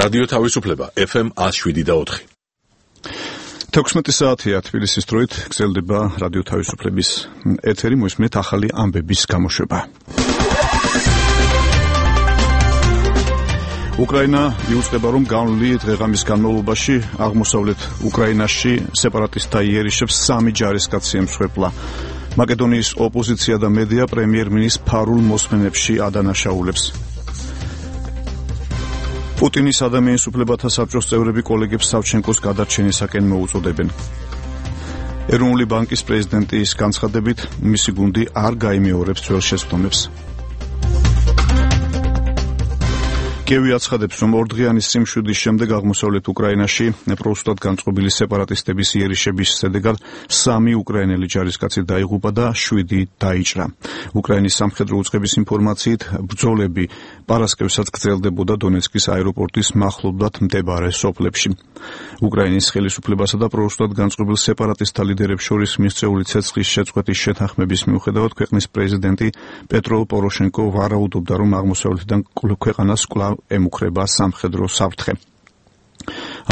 რადიო თავისუფლება FM 107.4. 16 საათია თბილისის დროით გრძელდება რადიო თავისუფლების ეთერი, მოისმენთ ახალი ამბების გამოშვება. უკრაინა იუწყება, რომ გავლილი დღე-ღამის განმავლობაში აღმოსავლეთ უკრაინაში სეპარატისტთა იერიშებს 3 ჯარისკაცი ემსხვერპლა. მაკედონიის ოპოზიცია და მედია პრემიერ-მინისტრ ფარულ მოსმენებში ადანაშაულებს. პუტინის ადამიანის უფლებათა საბჭოს წევრები კოლეგებს სავჩენკოს გადარჩენისაკენ მოუწოდებენ. ეროვნული ბანკის პრეზიდენტის განცხადებით, მისი გუნდი არ გაიმეორებს ძველ შეცდომებს. კიევი აცხადებს, რომ ორდღიანი სიმშვიდის შემდეგ აღმოსავლეთ უკრაინაში პროსტად განწყობილი სეპარატისტების იერიშების შედეგად 3 უკრაინელი ჯარისკაცი დაიღუპა და 7 დაიჭრა. უკრაინის სამხედრო უწყების ინფორმაციით, ბრძოლები პარასკევსაც გრძელდებოდა დონეცკის აეროპორტის მახლობლად მდებარე სოფლებში. უკრაინის ხელისუფლებასა და პროსტად განწყობილ სეპარატისტთა ლიდერებს შორის მიღწეული ცეცხლის შეწყვეტის შეთანხმების მიუხედავად, ქვეყნის პრეზიდენტი პეტრო პოროშენკო ვარაუდობდა, რომ აღმოსავლეთიდან ქვეყანას კვლავ ემუქრება სამხედრო საფრთხე.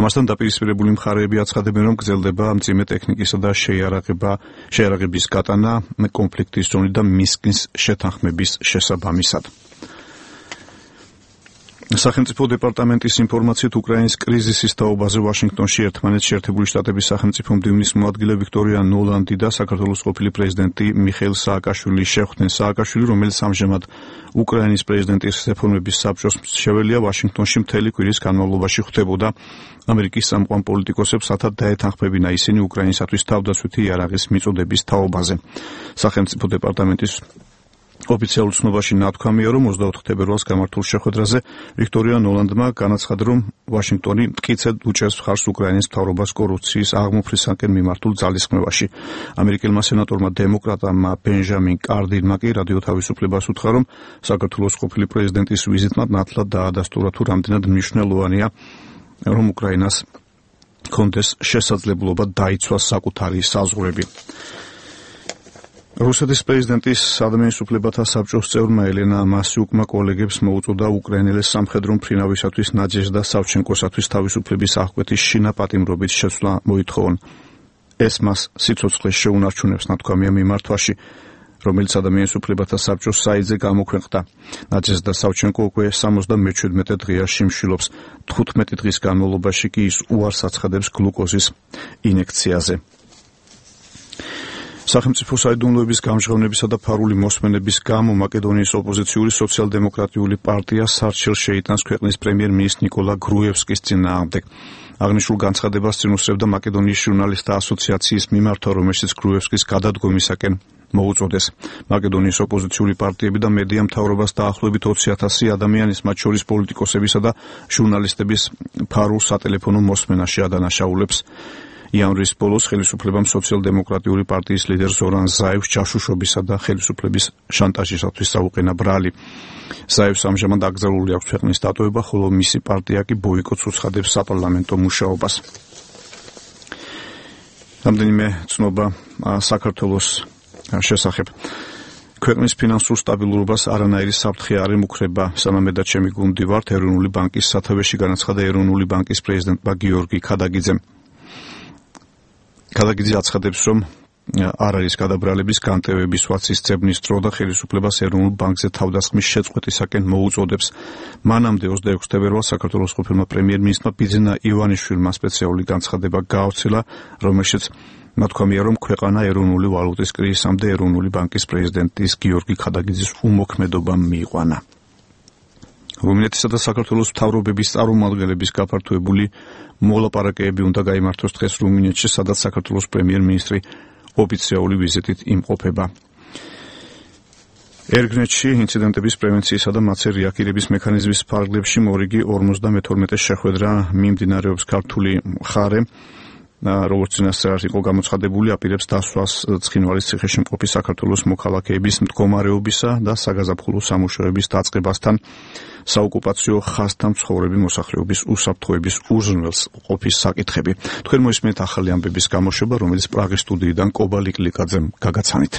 ამასთან დაპირისპირებული მხარეები აცხადებენ, რომ გრძელდება მძიმე ტექნიკისა და შეიარაღების გატანა კონფლიქტის ზონიდან მინსკის შეთანხმების შესაბამისად. სახელმწიფო დეპარტამენტის ინფორმაციით, უკრაინის კრიზისის თაობაზე ვაშინგტონში ერთმანეთს შეერთებული შტატების სახელმწიფო მდივნის მოადგილე ვიქტორია ნოლანდი და საქართველოს ყოფილი პრეზიდენტი მიხეილ სააკაშვილი შეხვდნენ. სააკაშვილი, რომელიც ამჟამად უკრაინის პრეზიდენტის რეფორმების საბჭოს მრჩეველია, ვაშინგტონში მთელი კვირის განმავლობაში ხვდებოდა ამერიკის სამყარო პოლიტიკოსებს, რათა დაეთანხმებინა ისინი უკრაინისათვის თავდაცვითი იარაღის მიწოდების თაობაზე. სახელმწიფო დეპარტამენტის ოფიციალურ ცნობაში ნათქვამია, რომ 24 თებერვალს გამართულ შეხვედრაზე ვიქტორია ნოლანდმა განაცხადა, რომ ვაშინგტონი მტკიცედ უჭერს მხარს უკრაინის მთავრობას კორუფციის აღმოფხვრისაკენ მიმართულ ძალისხმევაში. ამერიკელმა სენატორმა დემოკრატამ ბენჟამინ კარდინმა კი რადიო თავისუფლებას უთხრა, რომ საქართველოს ყოფილი პრეზიდენტის ვიზიტმა ნათლად დაადასტურა, თუ რამდენად მნიშვნელოვანია, რომ უკრაინას კონდეს შესაძლებლობა დაიცვას საკუთარი საზღვრები. რუსეთის პრეზიდენტის ადამიანის უფლებათა საბჭოს წევრმა ელენა მასიუკმა კოლეგებს მოუწოდა უკრაინელის სამხედრო მფრინავისათვის ნაჯეჟდა სავჩენკოსათვის თავისუფლების აღკვეთის შინაპატიმრობით შეცვლა მოითხოვონ. ეს მას სიცოცხლეს შეუნარჩუნებს, ნათქვამია მიმართვაში, რომელიც ადამიანის უფლებათა საბჭოს საიტზე გამოქვეყნდა. ნაჯეჟდა სავჩენკო უკვე 77 დღეა შიმშილობს. 15 დღის განმავლობაში კი ის უარს აცხადებს გლუკოზის ინექციაზე. სახელმწიფო საიდუმლოების გამჟღავნებისა და ფარული მოსმენების გამო მაკედონიის ოპოზიციური სოციალ-დემოკრატიული პარტია სარჩელს შეიტანს ქვეყნის პრემიერ-მინისტრ ნიკოლა გრუევსკის წინააღმდეგ. აღნიშნულ განცხადებას წინ უსწრებდა მაკედონიის ჟურნალისტთა ასოციაციის მიმართვა, რომელშიც გრუევსკის გადადგომისაკენ მოუწოდეს. მაკედონიის ოპოზიციური პარტიები და მედია მთავრობას დაახლოებით 20,000 ადამიანის, მათ შორის პოლიტიკოსებისა და ჟურნალისტების ფარულ სატელეფონო მოსმენაში ადანაშაულებს. იანვრის ბოლოს ხელისუფლებამ სოციალ-დემოკრატიული პარტიის ლიდერ ზორან ზაევს ჯაშუშობისა და ხელისუფლების შანტაჟისათვის დაუყენა ბრალი. ზაევს ამჟამად აკრძალული აქვს ქვეყნის დატოვება, ხოლო მისი პარტია კი ბოიკოტს უცხადებს საპარლამენტო მუშაობას. რამდენიმე ცნობა საქართველოს შესახებ. ქვეყნის ფინანსურ სტაბილურობას არანაირი საფრთხე არ ემუქრება, სანამედად ჩემი გუნდი ვართ, ეროვნული ბანკის სათავეში განაცხადა ეროვნული ბანკის პრეზიდენტმა გიორგი ქადაგიძემ. ქადაგიძე აცხადებს, რომ არ არის გადაბრალების განტევების ვაცის ძებნის დრო და ხელისუფლებას ეროვნულ ბანკზე თავდასხმის შეწყვეტისაკენ მოუწოდებს. მანამდე 26 თებერვალს საქართველოს ყოფილმა პრემიერ-მინისტრმა ბიძინა ივანიშვილმა სპეციალური განცხადება გაავრცელა, რომელშიც ნათქვამია, რომ ქვეყანა ეროვნული ვალუტის კრიზისამდე ეროვნული ბანკის პრეზიდენტის გიორგი ქადაგიძის უმოქმედობამ მიიყვანა. რუმინეთისა და საქართველოს მთავრობების წარმომადგენლების გაფართოებული მოლაპარაკებები უნდა გაიმართოს დღეს რუმინეთში, სადაც საქართველოს პრემიერ-მინისტრი ოფიციალური ვიზიტით იმყოფება. ერგნეთში ინციდენტების პრევენციისა და მათზე რეაგირების მექანიზმის ფარგლებში მორიგი 52 შეხვედრა მიმდინარეობს. ქართული მხარე, როგორც წინასწარ იყო გამოცხადებული, აპირებს დასვას ცხინვალის ციხეში მყოფი საქართველოს მოქალაქეების მდგომარეობისა და საგაზაფხულო სამუშაოების დაწყებასთან საოკუპაციო ხაზთან მცხოვრები მოსახლეობის უსაფრთხოების უზრუნველს ყოფის საკითხები. თქვენ მოისმენთ ახალი ამბების გამოშვება, რომელიც პრაღის სტუდიიდან კობა ლიკლიკაძემ გაგაცანით.